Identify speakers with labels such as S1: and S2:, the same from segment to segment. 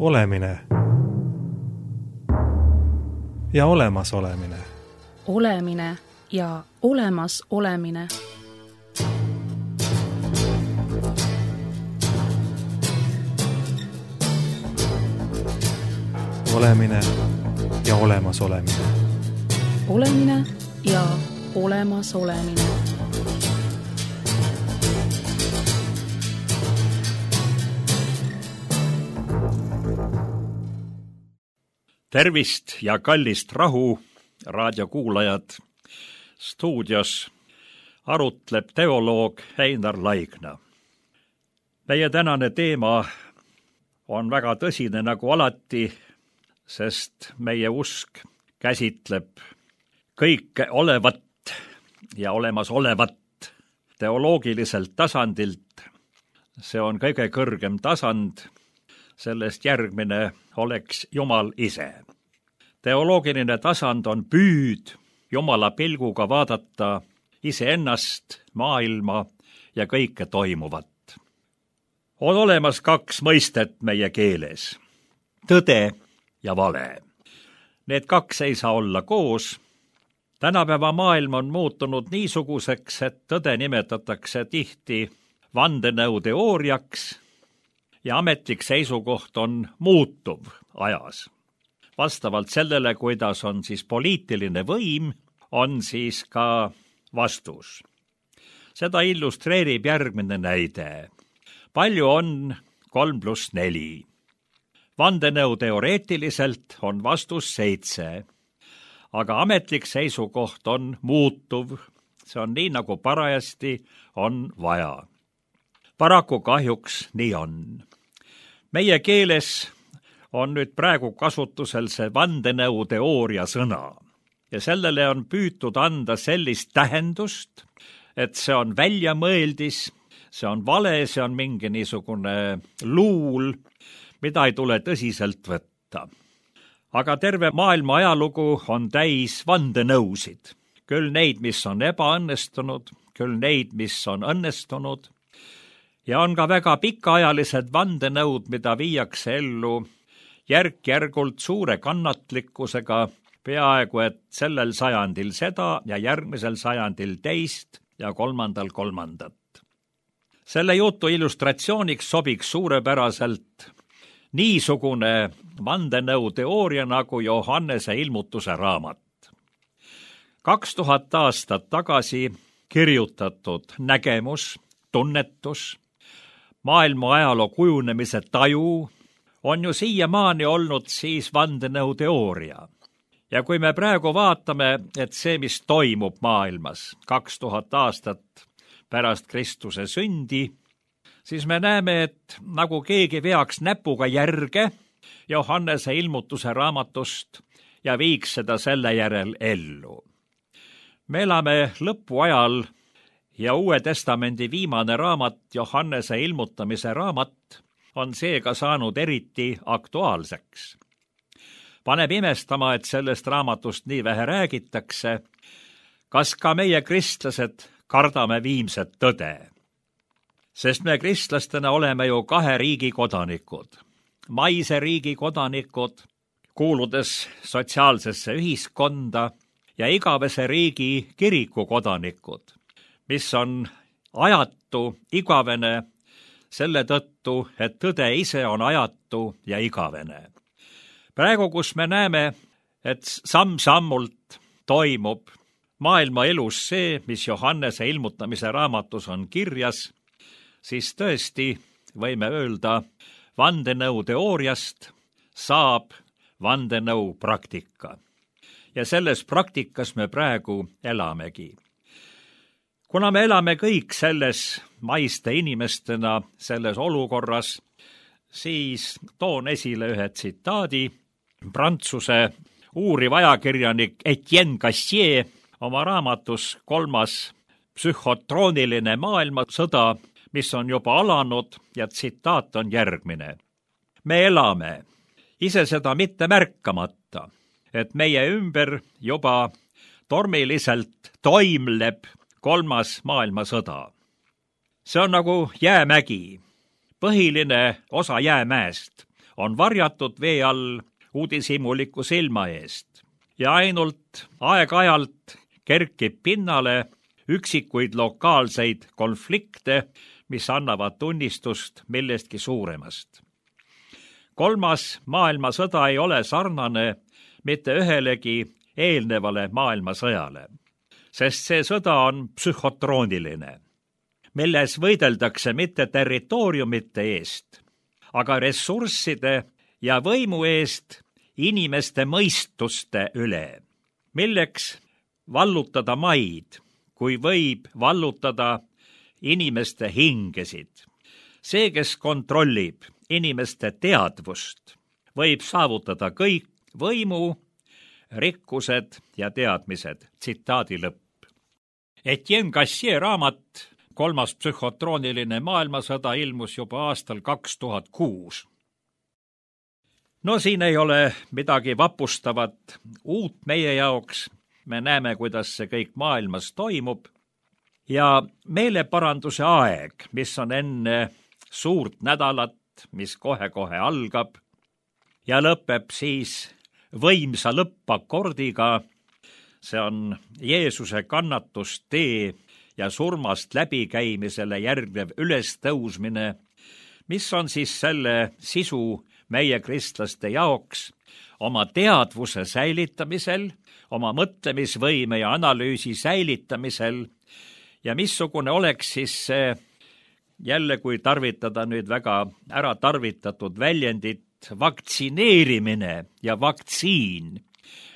S1: Olemine ja olemasolemine.
S2: Olemine ja olemas olemine.
S1: Olemine ja olemas olemine.
S2: Olemine ja olemas olemine.
S3: Tervist ja kallist rahu, raadiokuulajad. Stuudios arutleb teoloog Einar Laigna. Meie tänane teema on väga tõsine nagu alati, sest meie usk käsitleb kõike olevat ja olemasolevat teoloogiliselt tasandilt. See on kõige kõrgem tasand, sellest järgmine oleks Jumal ise. Teoloogiline tasand on püüd Jumala pilguga vaadata iseennast, maailma ja kõike toimuvat. On olemas kaks mõistet meie keeles, tõde ja vale. Need kaks ei saa olla koos. Tänapäeva maailm on muutunud niisuguseks, et tõde nimetatakse tihti vandenõuteooriaks ja ametlik seisukoht on muutuv ajas. Vastavalt sellele, kuidas on siis poliitiline võim, on siis ka vastus. Seda illustreerib järgmine näide. Palju on 3+4. Vandenõu teoreetiliselt on vastus 7, aga ametlik seisukoht on muutuv. See on nii, nagu parajasti on vaja. Paraku kahjuks nii on. Meie keeles on nüüd praegu kasutusel see vandenõuteooria sõna ja sellele on püütud anda sellist tähendust, et see on väljamõeldis, see on vale, see on mingi niisugune luul, mida ei tule tõsiselt võtta. Aga terve maailma ajalugu on täis vandenõusid. Küll neid, mis on ebaõnnestunud, küll neid, mis on õnnestunud. Ja on ka väga pikaajalised vandenõud, mida viiakse ellu järk-järgult suure kannatlikkusega, peaaegu et sellel sajandil seda ja järgmisel sajandil teist ja kolmandat. Selle jutu illustratsiooniks sobiks suurepäraselt niisugune vandenõuteooria nagu Johannese ilmutuse raamat. 2000 aastat tagasi kirjutatud nägemus, tunnetus, maailma ajaloo kujunemise taju on ju siiamaani olnud siis vandenõuteooria. Ja kui me praegu vaatame, et see, mis toimub maailmas 2000 aastat pärast Kristuse sündi, siis me näeme, et nagu keegi veaks näpuga järge Johannese ilmutuse raamatust ja viiks seda selle järel ellu. Me elame lõpuajal ja Uue Testamendi viimane raamat, Johannese ilmutamise raamat, on seega saanud eriti aktuaalseks. Paneb imestama, et sellest raamatust nii vähe räägitakse. Kas ka meie kristlased kardame viimset tõde? Sest me kristlastena oleme ju kahe riigi kodanikud. Maise riigi kodanikud, kuuludes sotsiaalsesse ühiskonda, ja igavese riigi kiriku kodanikud, mis on ajatu, igavene, selle tõttu, et tõde ise on ajatu ja igavene. Praegu, kus me näeme, et samm-sammult toimub maailma elus see, mis Johannese ilmutamise raamatus on kirjas, siis tõesti võime öelda, vandenõuteooriast saab vandenõu praktika. Ja selles praktikas me praegu elamegi. Kuna me elame kõik selles maiste inimestena selles olukorras, siis toon esile ühe tsitaadi. Prantsuse uuriv ajakirjanik Etienne Gassier oma raamatus 3. psühhotrooniline maailmasõda, mis on juba alanud, ja tsitaat on järgmine. Me elame, ise seda mitte märkamata, et meie ümber juba tormiliselt toimleb 3. maailmasõda. See on nagu jäämägi. Põhiline osa jäämäest on varjatud vee all uudishimuliku silma eest ja ainult aeg-ajalt kerkib pinnale üksikuid lokaalseid konflikte, mis annavad tunnistust millestki suuremast. Kolmas maailmasõda ei ole sarnane mitte ühelegi eelnevale maailmasõjale, sest see sõda on psühhotrooniline, milles võideldakse mitte territooriumite eest, aga ressursside ja võimu eest inimeste mõistuste üle, milleks vallutada maid, kui võib vallutada inimeste hingesid. See, kes kontrollib inimeste teadvust, võib saavutada kõik võimu, rikkused ja teadmised. Tsitaadi lõpp. Etienne Gassier raamat Kolmas psühhotrooniline maailmasõda ilmus juba aastal 2006. No siin ei ole midagi vapustavat uut meie jaoks. Me näeme, kuidas see kõik maailmas toimub. Ja meeleparanduse aeg, mis on enne suurt nädalat, mis kohe-kohe algab ja lõpeb siis võimsa lõppakordiga, see on Jeesuse kannatustee ja surmast läbikäimisele järgnev ülestõusmine, mis on siis selle sisu meie kristlaste jaoks oma teadvuse säilitamisel, oma mõtlemisvõime ja analüüsi säilitamisel ja missugune oleks siis see, jälle kui tarvitada nüüd väga ära tarvitatud väljendit, vaktsineerimine ja vaktsiin,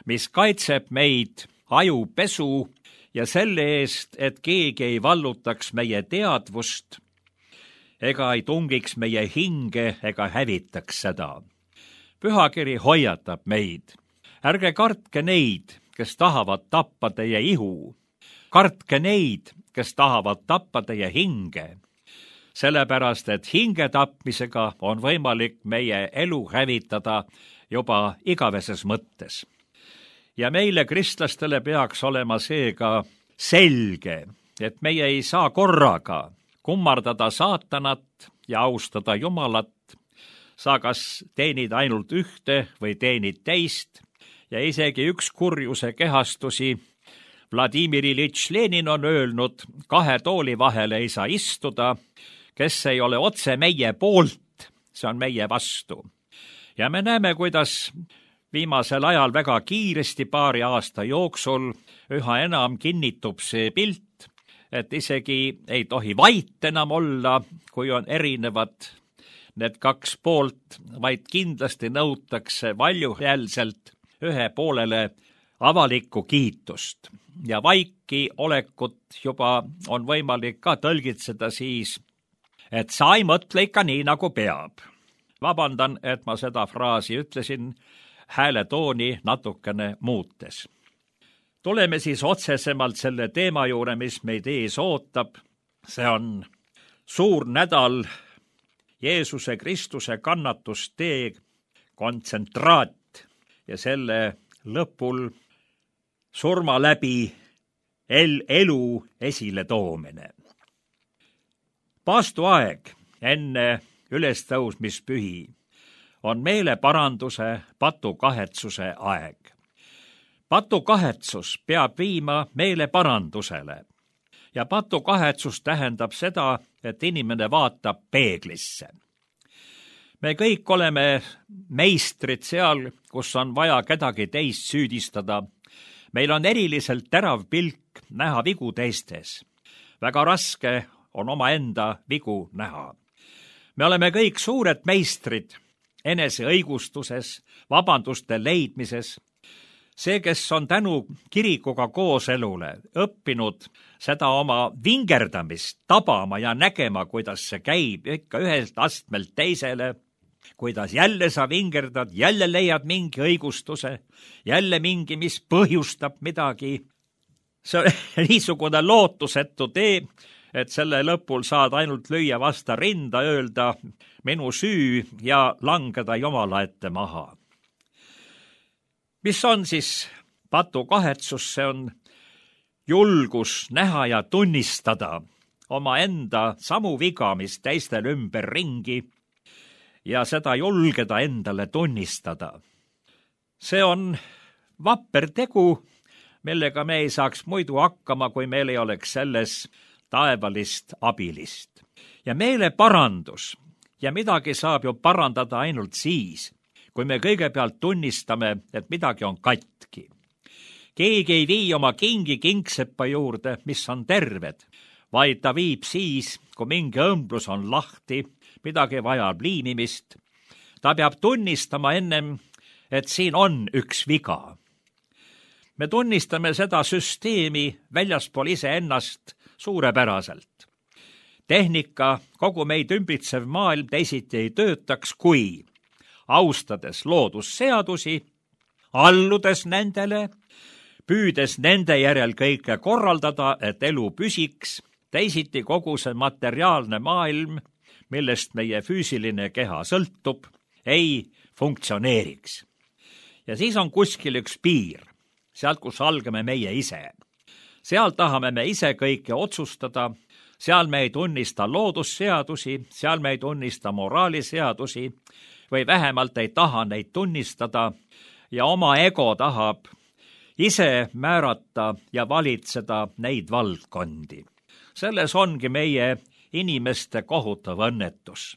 S3: mis kaitseb meid ajupesu ja selle eest, et keegi ei vallutaks meie teadvust ega ei tungiks meie hinge ega hävitaks seda. Pühakiri hoiatab meid. Ärge kartke neid, kes tahavad tappa teie ihu. Kartke neid, kes tahavad tappa teie hinge. Sellepärast, et hinge tapmisega on võimalik meie elu hävitada juba igaveses mõttes. Ja meile kristlastele peaks olema seega selge, et meie ei saa korraga kummardada saatanat ja austada Jumalat. Sa kas teenid ainult ühte või teenid teist ja isegi üks kurjuse kehastusi Vladimir Iljitš Lenin on öelnud, 2 tooli vahele ei saa istuda, kes ei ole otse meie poolt, see on meie vastu. Ja me näeme, kuidas viimasel ajal väga kiiresti 2 aasta jooksul üha enam kinnitub see pilt, et isegi ei tohi vait enam olla, kui on erinevad need 2 poolt, vaid kindlasti nõutakse valjuhäälselt ühe poolele avalikku kiitust. Ja vaiki olekut juba on võimalik ka tõlgitseda siis, et sa ei mõtle ikka nii, nagu peab. Vabandan, et ma seda fraasi ütlesin hääletooni natukene muutes. Tuleme siis otsesemalt selle teema juurde, mis meid ees ootab. See on suur nädal Jeesuse Kristuse kannatustee kontsentraat ja selle lõpul surma läbi elu esile toomine. Paastuaeg enne ülestõusmispühi on meeleparanduse, patukahetsuse aeg. Patukahetsus peab viima meeleparandusele ja patukahetsus tähendab seda, et inimene vaatab peeglisse. Me kõik oleme meistrid seal, kus on vaja kedagi teist süüdistada. Meil on eriliselt terav pilk näha vigu teistes. Väga raske on omaenda vigu näha. Me oleme kõik suured meistrid enese õigustuses, vabanduste leidmises. See, kes on tänu kirikuga kooselule õppinud seda oma vingerdamist tabama ja nägema, kuidas see käib ikka ühelt astmelt teisele, kuidas jälle sa vingerdad, jälle leiad mingi õigustuse, jälle mingi, mis põhjustab midagi. See on niisugune lootusetu tee, et selle lõpul saad ainult lüüa vasta rinda, öelda minu süü ja langeda Jumala ette maha. Mis on siis patukahetsus? See on julgus näha ja tunnistada omaenda samu viga, mis teistel ümber ringi, ja seda julgeda endale tunnistada. See on vapper tegu, millega me ei saaks muidu hakkama, kui meil ei oleks selles taevalist abilist. Ja meeleparandus ja midagi saab ju parandada ainult siis, kui me kõigepealt tunnistame, et midagi on katki. Keegi ei vii oma kingi kingseppa juurde, mis on terved, vaid ta viib siis, kui mingi õmblus on lahti, midagi vajab liimimist. Ta peab tunnistama ennem, et siin on üks viga. Me tunnistame seda süsteemi väljaspool iseennast suurepäraselt. Tehnika, kogu meid ümbritsev maailm teisiti ei töötaks, kui austades loodusseadusi, alludes nendele, püüdes nende järel kõike korraldada, et elu püsiks, teisiti kogu see materiaalne maailm, millest meie füüsiline keha sõltub, ei funktsioneeriks. Ja siis on kuskil üks piir, sealt, kus algame meie ise. Seal tahame me ise kõike otsustada, seal me ei tunnista loodusseadusi, seal me ei tunnista moraaliseadusi või vähemalt ei taha neid tunnistada ja oma ego tahab ise määrata ja valitseda neid valdkondi. Selles ongi meie inimeste kohutav õnnetus.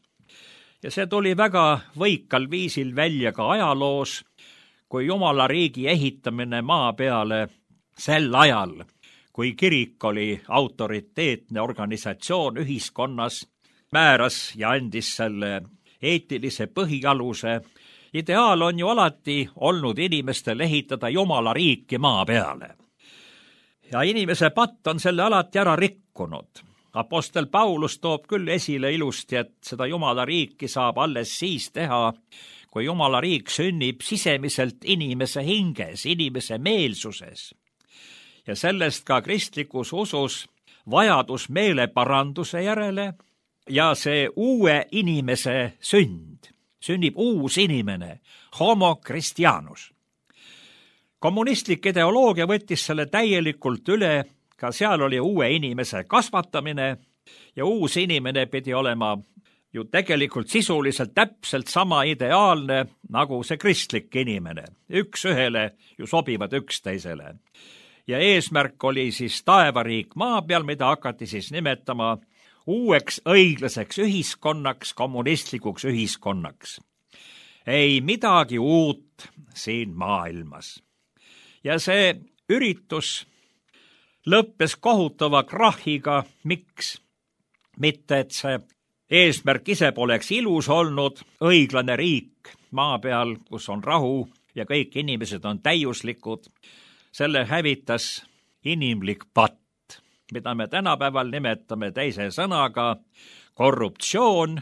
S3: Ja see tuli väga võikal viisil välja ka ajaloos, kui Jumala riigi ehitamine maa peale sel ajal, kui kirik oli autoriteetne organisatsioon ühiskonnas, määras ja andis selle eetilise põhialuse. Ideaal on ju alati olnud inimestel ehitada Jumala riiki maa peale. Ja inimese patt on selle alati ära rikkunud. Apostel Paulus toob küll esile ilusti, et seda Jumala riiki saab alles siis teha, kui Jumala riik sünnib sisemiselt inimese hinges, inimese meelsuses. Ja sellest ka kristlikus usus vajadus meeleparanduse järele ja see uue inimese sünd. Sünnib uus inimene, homo Christianus. Kommunistlik ideoloogia võttis selle täielikult üle, ka seal oli uue inimese kasvatamine ja uus inimene pidi olema ju tegelikult sisuliselt täpselt sama ideaalne nagu see kristlik inimene. Üks ühele ju sobivad üksteisele. Ja eesmärk oli siis taevariik maa peal, mida hakati siis nimetama uueks õiglaseks ühiskonnaks, kommunistlikuks ühiskonnaks. Ei midagi uut siin maailmas. Ja see üritus lõppes kohutava krahhiga. Miks? Mitte, et see eesmärk ise poleks ilus olnud, õiglane riik maa peal, kus on rahu ja kõik inimesed on täiuslikud. Selle hävitas inimlik patt, mida me tänapäeval nimetame teise sõnaga korruptsioon.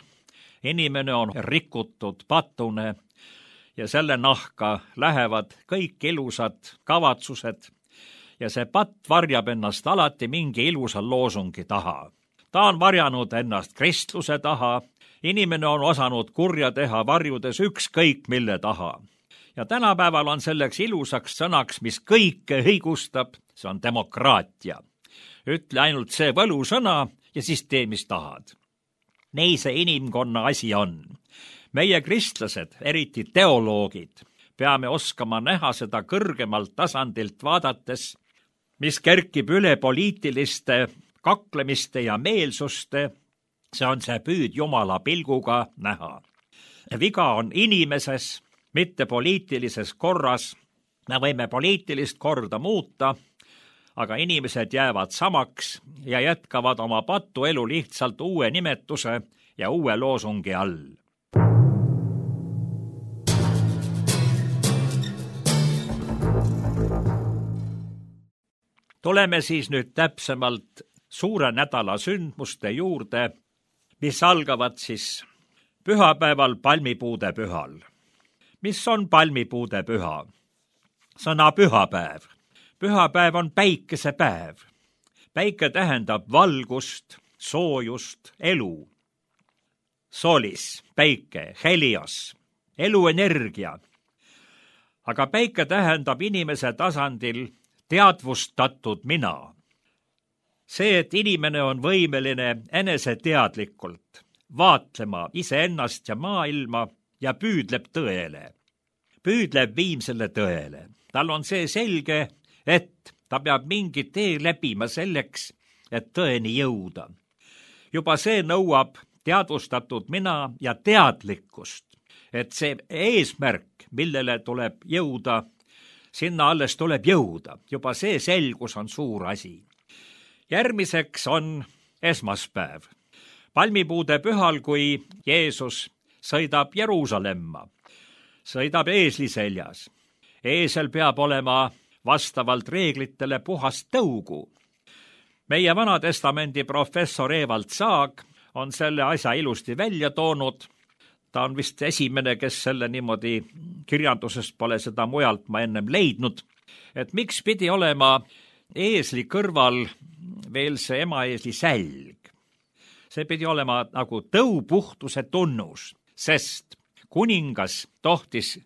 S3: Inimene on rikutud patune ja selle nahka lähevad kõik ilusad kavatsused ja see patt varjab ennast alati mingi ilusa loosungi taha. Ta on varjanud ennast kristluse taha, inimene on osanud kurja teha varjudes ükskõik mille taha. Ja tänapäeval on selleks ilusaks sõnaks, mis kõike õigustab, see on demokraatia. Ütle ainult see võlusõna ja siis tee, mis tahad. Nii see inimkonna asi on. Meie kristlased, eriti teoloogid, peame oskama näha seda kõrgemalt tasandilt vaadates, mis kerkib üle poliitiliste kaklemiste ja meelsuste, see on see püüd Jumala pilguga näha. Viga on inimeses, mitte poliitilises korras. Me võime poliitilist korda muuta, aga inimesed jäävad samaks ja jätkavad oma patuelu lihtsalt uue nimetuse ja uue loosungi all. Tuleme siis nüüd täpsemalt suure nädala sündmuste juurde, mis algavad siis pühapäeval palmipuude pühal. Mis on palmipuude püha? Sõna pühapäev. Pühapäev on päikesepäev. Päike tähendab valgust, soojust, elu. Solis, päike, helios, eluenergia. Aga päike tähendab inimese tasandil teadvustatud mina. See, et inimene on võimeline eneseteadlikult vaatlema iseennast ja maailma ja püüdleb tõele. Püüdleb viimsele tõele. Tal on see selge, et ta peab mingi tee läbima selleks, et tõeni jõuda. Juba see nõuab teadvustatud mina ja teadlikkust, et see eesmärk, millele tuleb jõuda, sinna alles tuleb jõuda. Juba see selgus on suur asi. Järgmiseks on esmaspäev. Palmipuude pühal, kui Jeesus sõidab Jeruusalemma, sõidab eesli seljas. Eesel peab olema vastavalt reeglitele puhast tõugu. Meie Vanatestamendi professor Evald Saag on selle asja ilusti välja toonud. Ta on vist esimene, kes selle niimoodi kirjandusest pole seda mujalt ma ennem leidnud, et miks pidi olema eesli kõrval veel see emaeesli sälg. See pidi olema nagu tõupuhtuse tunnus, sest kuningas tohtis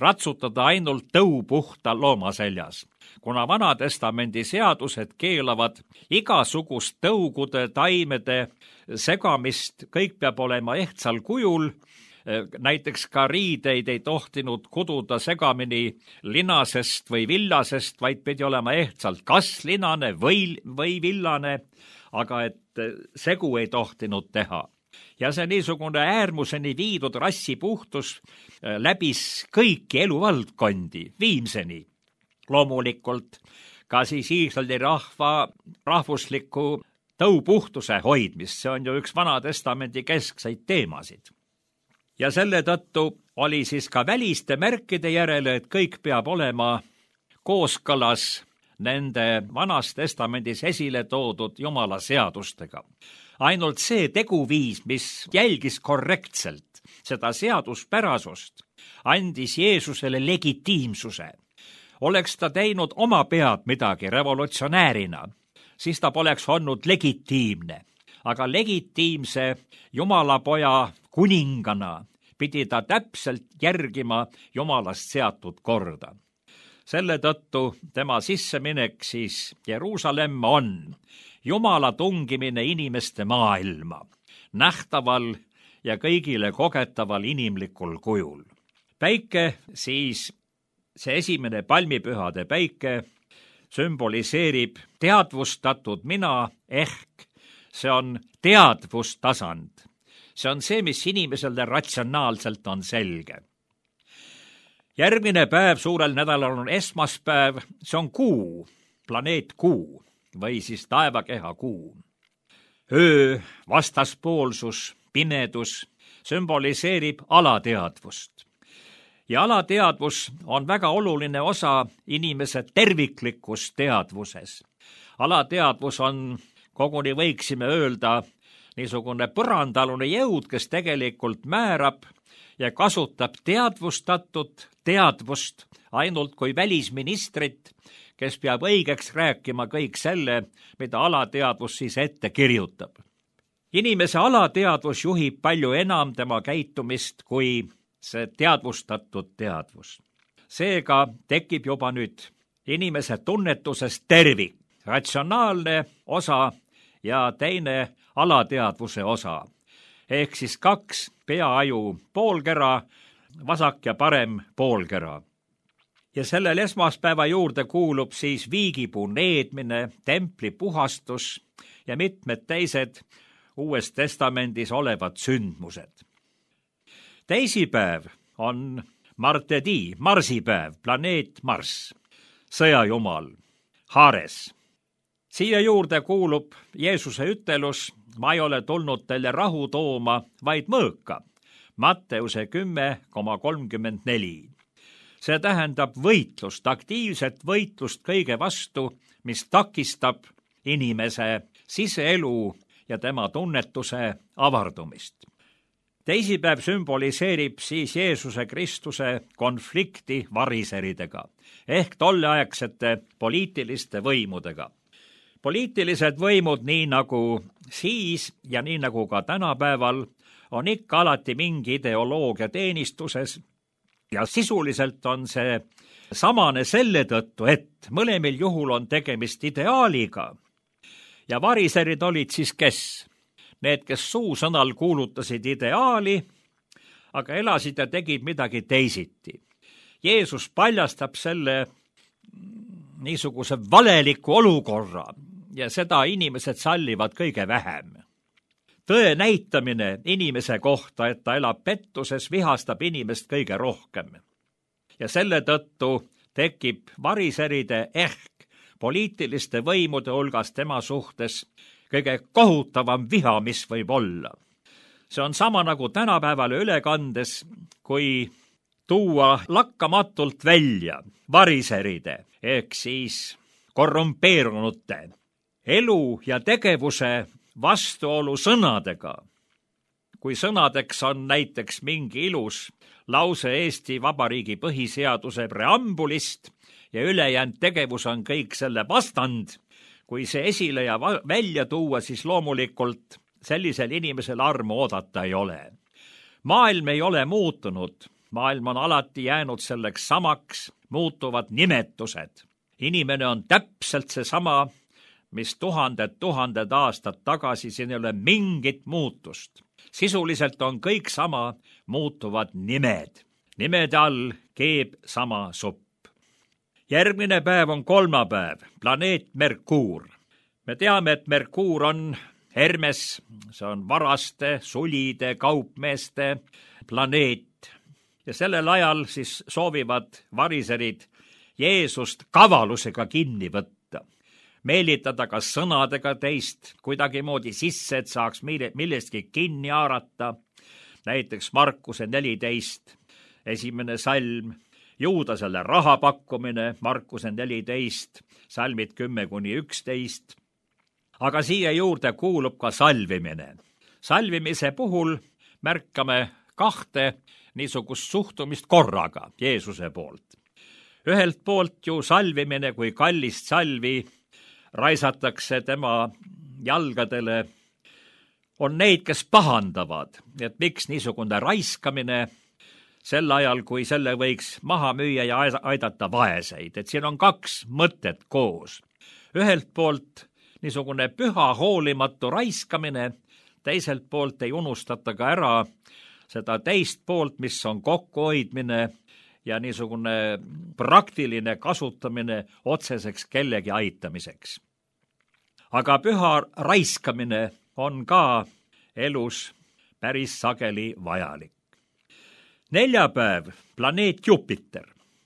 S3: ratsutada ainult tõupuhta looma seljas. Kuna Vanatestamendi seadused keelavad igasugust tõugude, taimede segamist, kõik peab olema ehtsal kujul, näiteks ka riideid ei tohtinud kududa segamini linasest või villasest, vaid pidi olema ehtsalt kas linane või villane, aga et segu ei tohtinud teha. Ja see niisugune äärmuseni viidud rassipuhtus läbis kõiki eluvaldkondi viimseni. Loomulikult ka siis Iisraeli rahva rahvusliku tõupuhtuse hoidmist, see on ju üks Vanatestamendi keskseid teemasid. Ja selle tõttu oli siis ka väliste märkide järele, et kõik peab olema kooskõlas nende Vanas Testamendis esile toodud Jumala seadustega. Ainult see teguviis, mis jälgis korrektselt seda seaduspärasust, andis Jeesusele legitiimsuse. Oleks ta teinud oma pead midagi revolutsionäärina, siis ta poleks olnud legitiimne. Aga legitiimse Jumalapoja kuningana pidi ta täpselt järgima Jumalast seatud korda. Selle tõttu tema sisseminek siis Jeruusalemma on Jumala tungimine inimeste maailma, nähtaval ja kõigile kogetaval inimlikul kujul. Päike siis, see esimene palmipühade päike, sümboliseerib teadvustatud mina ehk see on teadvustasand. See on see, mis inimesele ratsionaalselt on selge. Järgmine päev suurel nädalal on esmaspäev, see on kuu, planeet Kuu või siis taevakeha Kuu. Öö, vastaspoolsus, pimedus sümboliseerib alateadvust. Ja alateadvus on väga oluline osa inimese terviklikus teadvuses. Alateadvus on, koguni võiksime öelda, niisugune põrandalune jõud, kes tegelikult määrab ja kasutab teadvustatud teadvust ainult kui välisministrit, kes peab õigeks rääkima kõik selle, mida alateadvus siis ette kirjutab. Inimese alateadvus juhib palju enam tema käitumist kui see teadvustatud teadvus. Seega tekib juba nüüd inimese tunnetusest tervik, ratsionaalne osa ja teine alateadvuse osa. Ehk siis kaks peaaju poolkera, vasak ja parem poolkera. Ja sellel esmaspäeva juurde kuulub siis viigipuu needmine, templi puhastus ja mitmed teised Uues Testamendis olevad sündmused. Teisipäev on Martedi, marsipäev, planeet Marss, sõjajumal, Haares. Siia juurde kuulub Jeesuse ütelus, ma ei ole tulnud teile rahu tooma, vaid mõõka, Matteuse 10,34. See tähendab võitlust, aktiivset võitlust kõige vastu, mis takistab inimese siseelu ja tema tunnetuse avardumist. Teisipäev sümboliseerib siis Jeesuse Kristuse konflikti variseridega ehk tolleaegsete poliitiliste võimudega. Poliitilised võimud, nii nagu siis ja nii nagu ka tänapäeval, on ikka alati mingi ideoloogia teenistuses ja sisuliselt on see samane selle tõttu, et mõlemil juhul on tegemist ideaaliga. Ja variserid olid siis kes? Need, kes suusõnal kuulutasid ideaali, aga elasid ja tegid midagi teisiti. Jeesus paljastab selle niisuguse valeliku olukorra ja seda inimesed sallivad kõige vähem. Tõe näitamine inimese kohta, et ta elab pettuses, vihastab inimest kõige rohkem. Ja selle tõttu tekib variseride ehk poliitiliste võimude hulgas tema suhtes kõige kohutavam viha, mis võib olla. See on sama nagu tänapäeval ülekandes, kui tuua lakkamatult välja variseride ehk siis korrumpeerunute elu ja tegevuse vastuolu sõnadega. Kui sõnadeks on näiteks mingi ilus lause Eesti Vabariigi põhiseaduse preambulist ja ülejäänud tegevus on kõik selle vastand, kui see esile ja välja tuua, siis loomulikult sellisel inimesel armu oodata ei ole. Maailm ei ole muutunud, maailm on alati jäänud selleks samaks, muutuvad nimetused. Inimene on täpselt seesama, mis tuhanded aastad tagasi, siin ei ole mingit muutust. Sisuliselt on kõik sama, muutuvad nimed. Nimede all keeb sama supp. Järgmine päev on kolmapäev, planeet Merkuur. Me teame, et Merkuur on Hermes, see on varaste, sulide, kaupmeeste planeet. Ja sellel ajal siis soovivad variserid Jeesust kavalusega kinni võtta. Meelitada kas sõnadega teist kuidagimoodi sisse, et saaks millestki kinni haarata. Näiteks Markuse 14, esimene salm, Juudasele raha pakkumine, Markuse 14, salmid 10-11. Aga siia juurde kuulub ka salvimine. Salvimise puhul märkame kahte niisugust suhtumist korraga Jeesuse poolt. Ühelt poolt ju salvimine, kui kallist salvi raisatakse tema jalgadele, on neid, kes pahandavad, et miks niisugune raiskamine sel ajal, kui selle võiks maha müüa ja aidata vaeseid. Et siin on kaks mõtet koos. Ühelt poolt niisugune püha hoolimatu raiskamine, teiselt poolt ei unustata ka ära seda teist poolt, mis on kokkuhoidmine ja niisugune praktiline kasutamine otseseks kellegi aitamiseks. Aga püha raiskamine on ka elus päris sageli vajalik. Neljapäev, planeet Jupiter.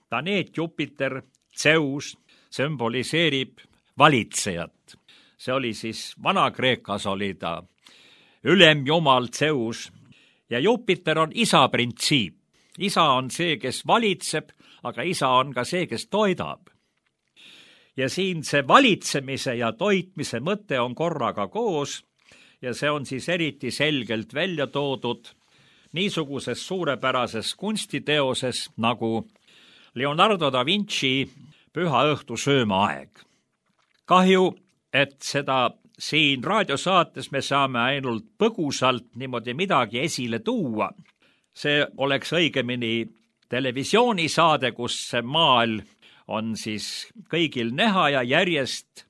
S3: Planeet Jupiter, Zeus, sümboliseerib valitsejat. See oli siis Vana-Kreekas oli ta ülemjumal Zeus ja Jupiter on isa printsiip. Isa on see, kes valitseb, aga isa on ka see, kes toidab. Ja siin see valitsemise ja toitmise mõte on korraga koos ja see on siis eriti selgelt välja toodud niisuguses suurepärases kunstiteoses nagu Leonardo da Vinci Püha õhtu söömaaeg. Kahju, et seda siin raadiosaates me saame ainult põgusalt niimoodi midagi esile tuua. See oleks õigemini televisioonisaade, kus see maal on siis kõigil näha ja järjest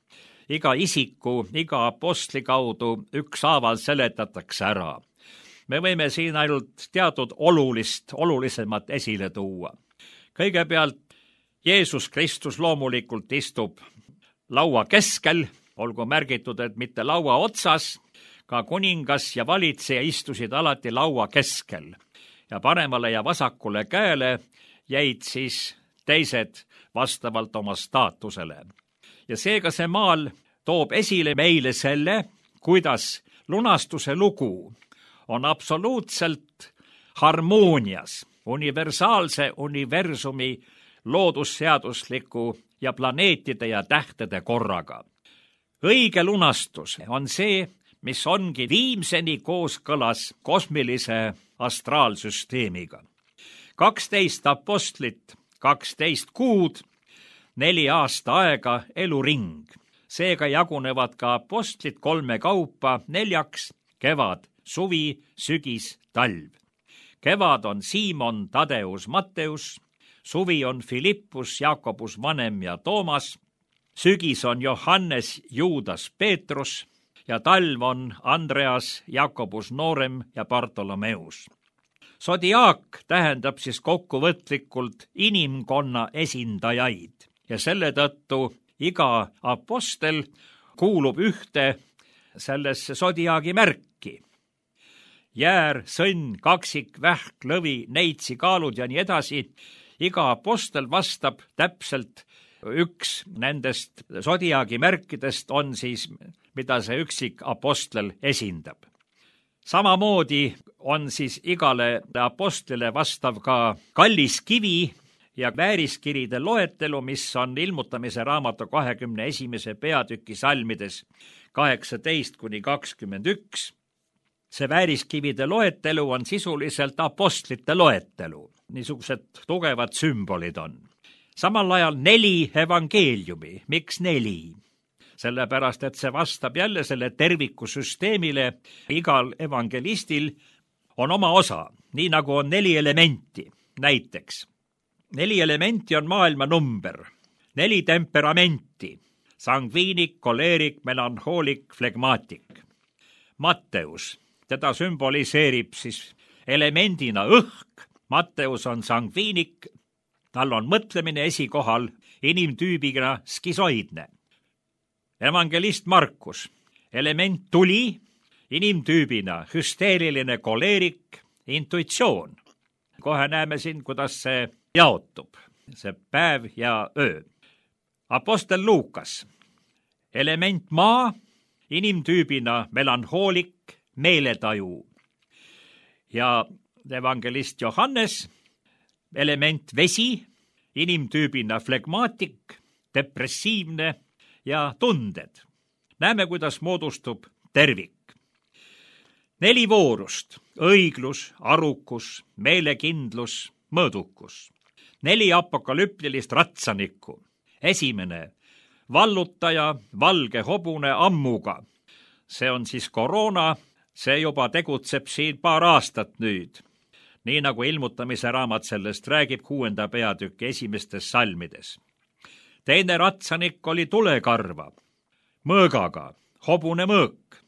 S3: iga isiku, iga apostli kaudu ükshaaval seletatakse ära. Me võime siin ainult teatud olulisemat esile tuua. Kõigepealt Jeesus Kristus loomulikult istub laua keskel, olgu märgitud, et mitte laua otsas, ka kuningas ja valitseja istusid alati laua keskel ja paremale ja vasakule käele jäid siis teised vastavalt oma staatusele. Ja seega see maal toob esile meile selle, kuidas lunastuse lugu on absoluutselt harmoonias universaalse universumi loodusseadusliku ja planeetide ja tähtede korraga. Õige lunastus on see, mis ongi viimseni kooskõlas kosmilise astraalsüsteemiga. 12 apostlit, 12 kuud, 4 aasta aega eluring. Seega jagunevad ka apostlid 3 kaupa 4, kevad, suvi, sügis, talv. Kevad on Siimon, Tadeus, Matteus, suvi on Filippus, Jakobus Vanem ja Toomas, sügis on Johannes, Juudas, Peetrus ja talv on Andreas, Jakobus Noorem ja Bartolomeus. Zodiaak tähendab siis kokkuvõtlikult inimkonna esindajaid ja selle tõttu iga apostel kuulub ühte sellesse zodiaagi märki. Jäär, sõnn, kaksik, vähk, lõvi, neitsi, kaalud ja nii edasi. Iga apostel vastab täpselt üks nendest zodiaagi märkidest on siis, mida see üksik apostel esindab. Samamoodi on siis igale apostlile vastav ka kallis kivi ja vääriskiride loetelu, mis on Ilmutamise raamatu 21. peatüki salmides 18-21. See vääriskivide loetelu on sisuliselt apostlite loetelu. Niisugused tugevad sümbolid on. Samal ajal 4 evangeeliumi. Miks 4? Sellepärast, et see vastab jälle selle tervikusüsteemile. Igal evangelistil on oma osa, nii nagu on 4 elementi. Näiteks 4 elementi on maailma number, 4 temperamenti, sangviinik, koleerik, melanhoolik, flegmaatik. Matteus, teda sümboliseerib siis elemendina õhk. Matteus on sangviinik, tal on mõtlemine esikohal, inimtüübina skisoidne. Evangelist Markus, element tuli, inimtüübina hüsteeriline koleerik, intuitsioon. Kohe näeme siin, kuidas see jaotub, see päev ja öö. Apostel Luukas, element maa, inimtüübina melanhoolik, meeletaju. Ja evangelist Johannes, element vesi, inimtüübina flegmaatik, depressiivne ja tunded. Näeme, kuidas moodustub tervik. 4 voorust, õiglus, arukus, meelekindlus, mõõdukus. 4 apokalüptilist ratsanikku. Esimene, vallutaja, valge hobune ammuga. See on siis koroona, see juba tegutseb siin paar aastat nüüd. Nii nagu Ilmutamise raamat sellest räägib 6. peatüki esimestes salmides. Teine ratsanik oli tulekarva, mõõgaga, hobune mõõk.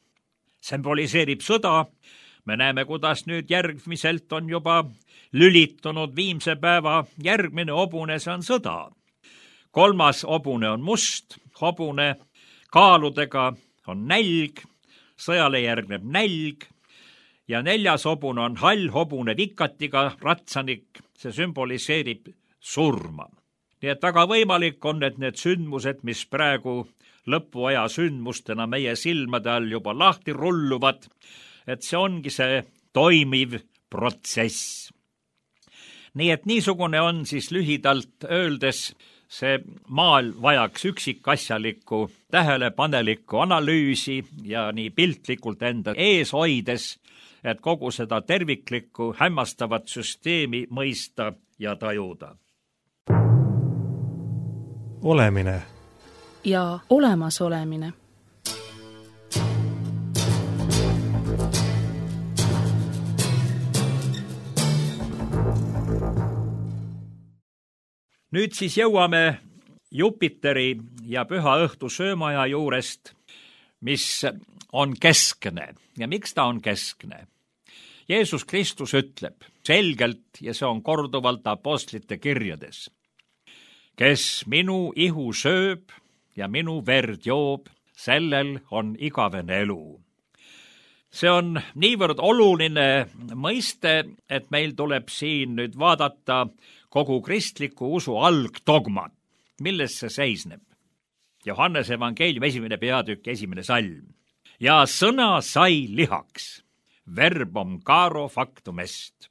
S3: Symboliseerib sõda. Me näeme, kuidas nüüd järgmiselt on juba lülitunud viimse päeva järgmine hobune, see on sõda. 3. hobune on must, hobune kaaludega on nälg, sõjale järgneb nälg ja 4. hobune on hall hobune vikatiga ratsanik, see sümboliseerib surma. Nii et väga võimalik on, et need sündmused, mis praegu lõpuaja sündmustena meie silmade all juba lahti rulluvad, et see ongi see toimiv protsess. Nii et niisugune on siis lühidalt öeldes, see maal vajaks üksikasjalikku tähelepanelikku analüüsi ja nii piltlikult enda ees hoides, et kogu seda terviklikku hämmastavat süsteemi mõista ja tajuda.
S1: Olemine
S2: ja olemasolemine.
S3: Nüüd siis jõuame Jupiteri ja püha õhtu söömaja juurest, mis on keskne. Ja miks ta on keskne? Jeesus Kristus ütleb selgelt, ja see on korduvalt apostlite kirjades, kes minu ihu sööb ja minu verd joob, sellel on igavene elu. See on niivõrd oluline mõiste, et meil tuleb siin nüüd vaadata kogu kristliku usu algdogmat, milles see seisneb. Johannese evangeeliumi 1. peatükk 1. salm. Ja sõna sai lihaks, verbum caro factum est.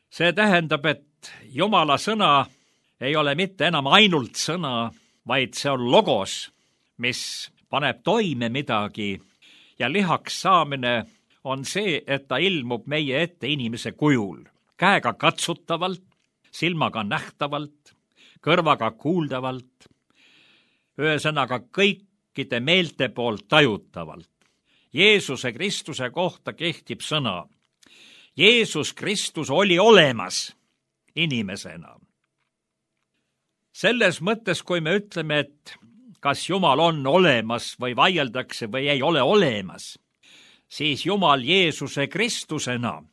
S3: See tähendab, et Jumala sõna ei ole mitte enam ainult sõna, vaid see on logos, mis paneb toime midagi, ja lihaks saamine on see, et ta ilmub meie ette inimese kujul, käega katsutavalt, silmaga nähtavalt, kõrvaga kuuldavalt, ühesõnaga kõikide meelte poolt tajutavalt. Jeesuse Kristuse kohta kehtib sõna. Jeesus Kristus oli olemas inimesena. Selles mõttes, kui me ütleme, et kas Jumal on olemas või vaieldakse või ei ole olemas, siis Jumal Jeesuse Kristusena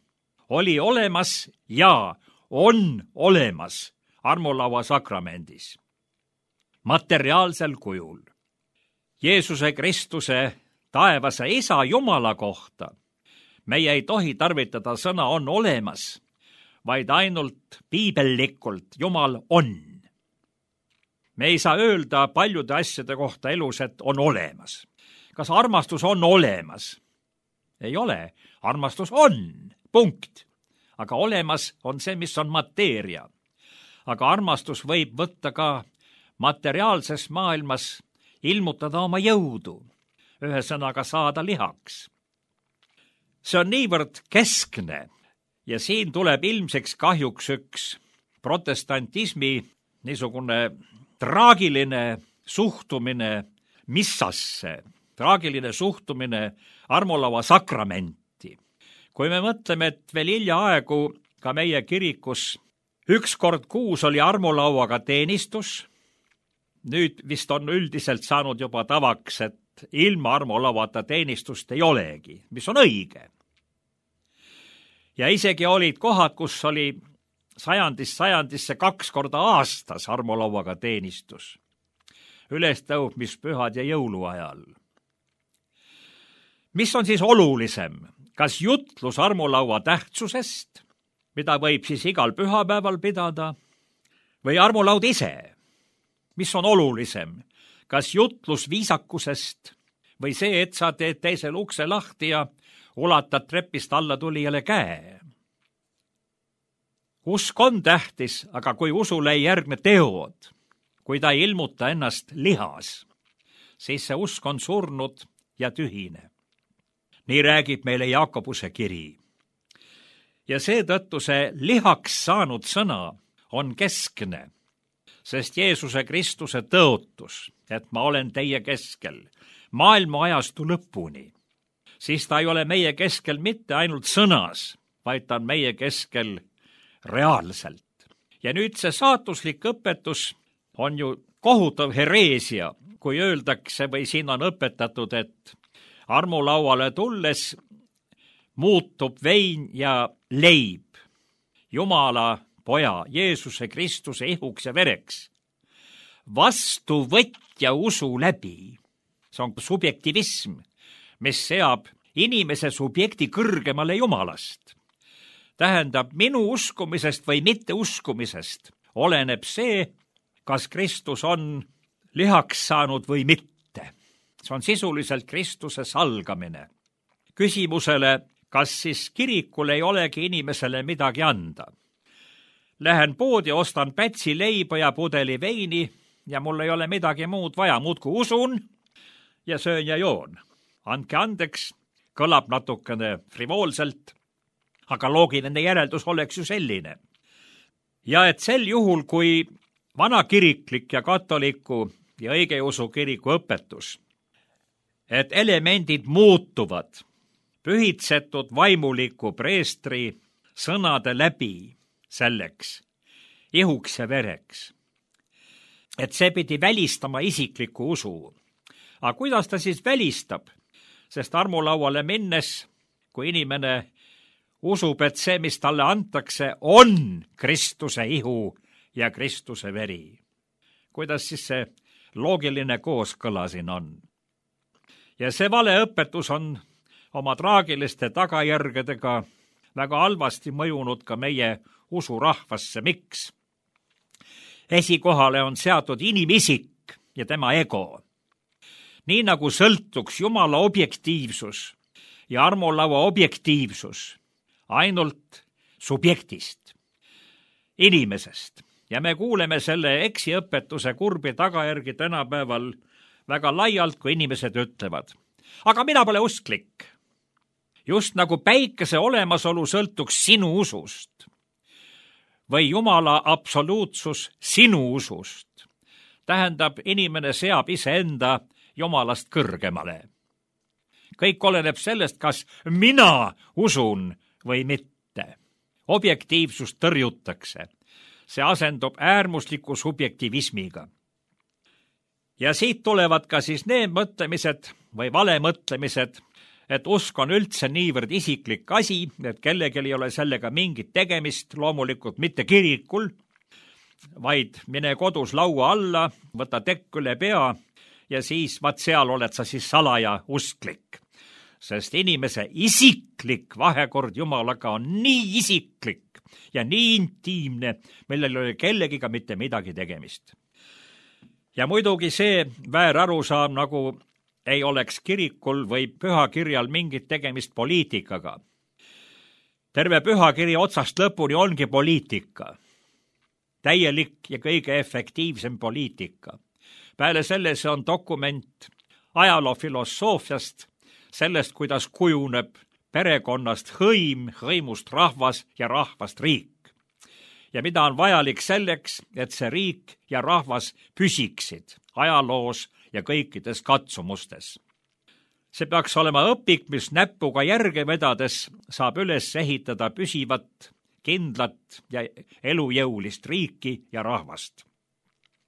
S3: oli olemas ja on olemas armulaua sakramendis, materiaalsel kujul. Jeesuse Kristuse taevase Isa Jumala kohta meie ei tohi tarvitada sõna on olemas, vaid ainult piibellikult Jumal on. Me ei saa öelda paljude asjade kohta elus, et on olemas. Kas armastus on olemas? Ei ole. Armastus on. Punkt. Aga olemas on see, mis on mateeria. Aga armastus võib võtta ka materiaalses maailmas ilmutada oma jõudu, ühesõnaga saada lihaks. See on niivõrd keskne ja siin tuleb ilmseks kahjuks üks protestantismi niisugune traagiline suhtumine missasse, traagiline suhtumine armulaua sakramenti. Kui me mõtleme, et veel hiljaaegu ka meie kirikus 1 kord kuus oli armulauaga teenistus, nüüd vist on üldiselt saanud juba tavaks, et ilma armulauata teenistust ei olegi, mis on õige. Ja isegi olid kohad, kus oli sajandisse 2 korda aastas armulauaga teenistus, ülestõusmispühad ja jõuluajal. Mis on siis olulisem? Kas jutlus armulaua tähtsusest, mida võib siis igal pühapäeval pidada, või armulaud ise? Mis on olulisem? Kas jutlus viisakusest või see, et sa teed teisel ukse lahti ja ulatad trepist alla tulijale käe? Usk on tähtis, aga kui usule ei järgne teod, kui ta ei ilmuta ennast lihas, siis see usk on surnud ja tühine. Nii räägib meile Jaakobuse kiri. Ja seetõttu see lihaks saanud sõna on keskne, sest Jeesuse Kristuse tõotus, et ma olen teie keskel maailma ajastu lõpuni, siis ta ei ole meie keskel mitte ainult sõnas, vaid ta on meie keskel reaalselt. Ja nüüd see saatuslik õpetus on ju kohutav hereesia, kui öeldakse või siin on õpetatud, et armulauale tulles muutub vein ja leib Jumala poja Jeesuse Kristuse ihuks ja vereks vastuvõtja usu läbi. See on subjektivism, mis seab inimese subjekti kõrgemale Jumalast. Tähendab, minu uskumisest või mitte uskumisest oleneb see, kas Kristus on lihaks saanud või mitte. See on sisuliselt Kristuse salgamine. Küsimusele, kas siis kirikul ei olegi inimesele midagi anda. Lähen poodi, ostan pätsi leiba ja pudeli veini ja mul ei ole midagi muud vaja, muudku usun ja söön ja joon. Andke andeks, kõlab natukene frivoolselt, aga loogiline järeldus oleks ju selline. Ja et sel juhul, kui vanakiriklik ja katoliku ja õigeusu kiriku õpetus, et elemendid muutuvad pühitsetud vaimuliku preestri sõnade läbi selleks, ihuks ja vereks, et see pidi välistama isikliku usu. Aga kuidas ta siis välistab? Sest armulauale minnes, kui inimene usub, et see, mis talle antakse, on Kristuse ihu ja Kristuse veri. Kuidas siis see loogiline kooskõla siin on? Ja see valeõpetus on oma traagiliste tagajärgedega väga halvasti mõjunud ka meie usurahvasse. Miks? Esikohale on seatud inimisik ja tema ego. Nii nagu sõltuks Jumala objektiivsus ja armulaua objektiivsus ainult subjektist, inimesest. Ja me kuuleme selle eksiõpetuse kurbi tagajärgi tänapäeval väga laialt, kui inimesed ütlevad. Aga mina pole usklik. Just nagu päikese olemasolu sõltuks sinu usust või Jumala absoluutsus sinu usust. Tähendab, inimene seab iseenda Jumalast kõrgemale. Kõik oleneb sellest, kas mina usun või mitte. Objektiivsust tõrjutakse. See asendub äärmusliku subjektivismiga. Ja siit tulevad ka siis need mõtlemised või valemõtlemised, et usk on üldse niivõrd isiklik asi, et kellelgi ei ole sellega mingit tegemist, loomulikult mitte kirikul, vaid mine kodus laua alla, võta tekk üle pea ja siis vaat seal oled sa siis salaja usklik. Sest inimese isiklik vahekord Jumalaga on nii isiklik ja nii intiimne, millel ei ole kellegiga mitte midagi tegemist. Ja muidugi see väärarusaam, nagu ei oleks kirikul või pühakirjal mingit tegemist poliitikaga. Terve pühakiri otsast lõpuni ongi poliitika. Täielik ja kõige efektiivsem poliitika. Peale selle see on dokument ajaloofilosoofiast, sellest, kuidas kujuneb perekonnast hõim, hõimust rahvas ja rahvast riik. Ja mida on vajalik selleks, et see riik ja rahvas püsiksid ajaloos ja kõikides katsumustes. See peaks olema õpik, mis näpuga järge vedades saab üles ehitada püsivat, kindlat ja elujõulist riiki ja rahvast.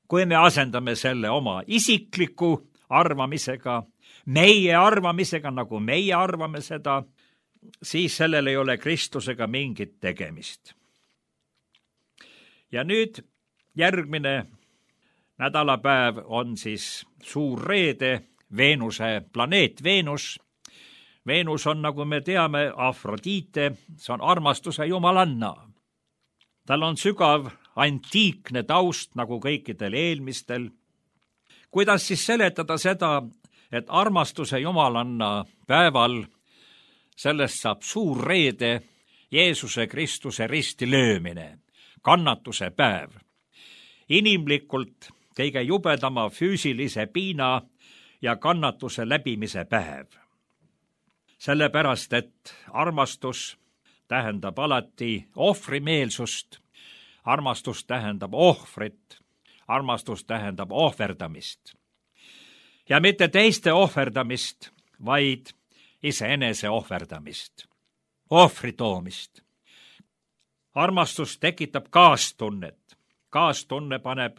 S3: Kui me asendame selle oma isikliku arvamisega, meie arvamisega, nagu meie arvame seda, siis sellel ei ole Kristusega mingit tegemist. Ja nüüd järgmine nädalapäev on siis suur reede, Veenuse planeet Veenus. Veenus on, nagu me teame, Afrodite, see on armastuse jumalanna. Tal on sügav antiikne taust, nagu kõikidel eelmistel. Kuidas siis seletada seda, et armastuse jumalanna päeval sellest saab suur reede, Jeesuse Kristuse risti löömine, kannatuse päev. Inimlikult kõige jubedama füüsilise piina ja kannatuse läbimise päev. Sellepärast, et armastus tähendab alati ohvrimeelsust, armastus tähendab ohvrit, armastus tähendab ohverdamist. Ja mitte teiste ohverdamist, vaid iseenese ohverdamist, ohvri toomist. Armastus tekitab kaastunnet. Kaastunne paneb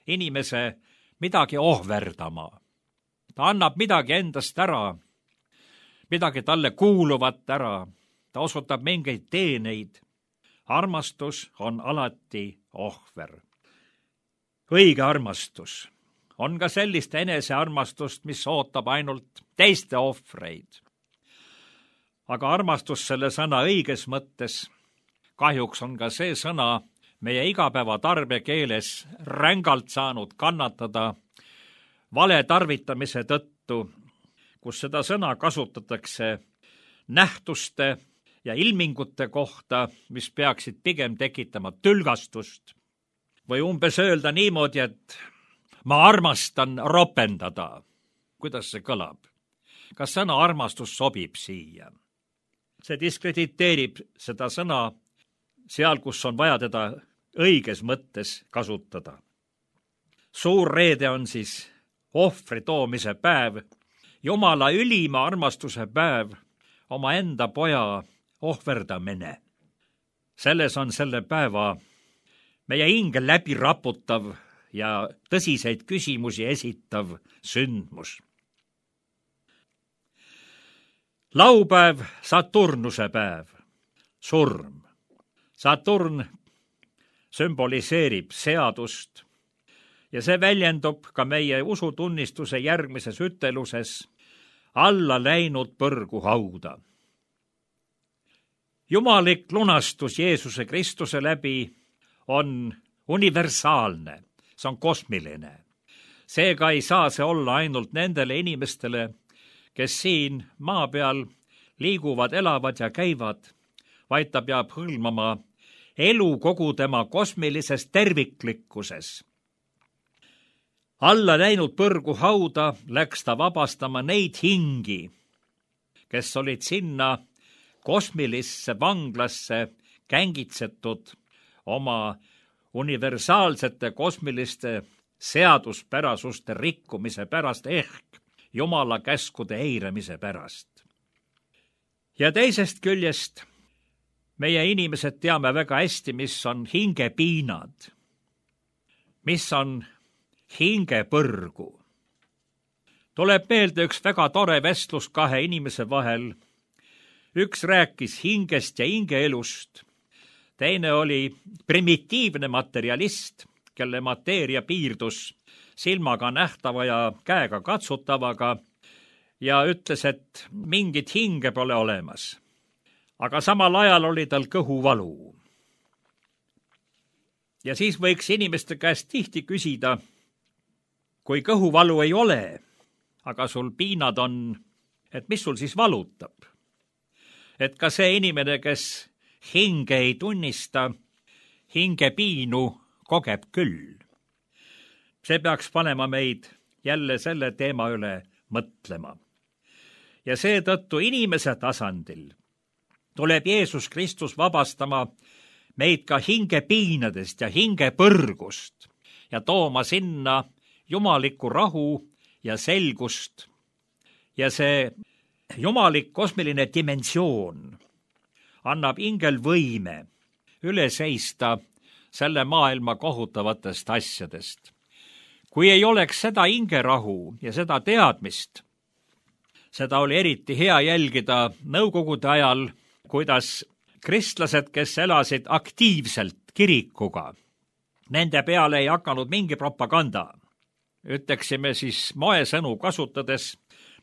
S3: inimese midagi ohverdama. Ta annab midagi endast ära, midagi talle kuuluvat ära. Ta osutab mingeid teeneid. Armastus on alati ohver. Õige armastus on ka sellist enesearmastust, mis ootab ainult teiste ohvreid. Aga armastus selle sõna õiges mõttes kahjuks on ka see sõna meie igapäeva tarbekeeles rängalt saanud kannatada vale tarvitamise tõttu, kus seda sõna kasutatakse nähtuste ja ilmingute kohta, mis peaksid pigem tekitama tülgastust. Või umbes öelda niimoodi, et ma armastan ropendada. Kuidas see kõlab? Kas sõna armastus sobib siia? See diskrediteerib seda sõna seal, kus on vaja teda õiges mõttes kasutada. Suur reede on siis ohvri toomise päev, Jumala ülima armastuse päev, omaenda poja ohverdamine. Selles on selle päeva meie hinge läbi raputav ja tõsiseid küsimusi esitav sündmus. Laupäev, Saturnuse päev, surm. Saturn sümboliseerib seadust ja see väljendub ka meie usutunnistuse järgmises üteluses alla läinud põrgu hauda. Jumalik lunastus Jeesuse Kristuse läbi on universaalne, see on kosmiline. Seega ei saa see olla ainult nendele inimestele, kes siin maa peal liiguvad, elavad ja käivad, vaid ta peab hõlmama elu kogu tema kosmilises terviklikkuses. Alla läinud põrgu hauda läks ta vabastama neid hingi, kes olid sinna kosmilisse vanglasse kängitsetud oma universaalsete kosmiliste seaduspärasuste rikkumise pärast ehk Jumala käskude eiramise pärast. Ja teisest küljest meie inimesed teame väga hästi, mis on hingepiinad, mis on hingepõrgu. Tuleb meelde üks väga tore vestlus kahe inimese vahel. Üks rääkis hingest ja hingeelust. Teine oli primitiivne materialist, kelle mateeria piirdus silmaga nähtava ja käega katsutavaga ja ütles, et mingit hinge pole olemas. Aga samal ajal oli tal kõhuvalu. Ja siis võiks inimeste käest tihti küsida, kui kõhuvalu ei ole, aga sul piinad on, et mis sul siis valutab? Et ka see inimene, kes hinge ei tunnista, hingepiinu kogeb küll. See peaks panema meid jälle selle teema üle mõtlema. Ja seetõttu inimese tasandil tuleb Jeesus Kristus vabastama meid ka hingepiinadest ja hingepõrgust ja tooma sinna jumalikku rahu ja selgust. Ja see jumalik kosmiline dimensioon annab hingel võime üle seista selle maailma kohutavatest asjadest. Kui ei oleks seda hingerahu ja seda teadmist, seda oli eriti hea jälgida nõukogude ajal, kuidas kristlased, kes elasid aktiivselt kirikuga, nende peale ei hakanud mingi propaganda. Ütleksime siis moesõnu kasutades,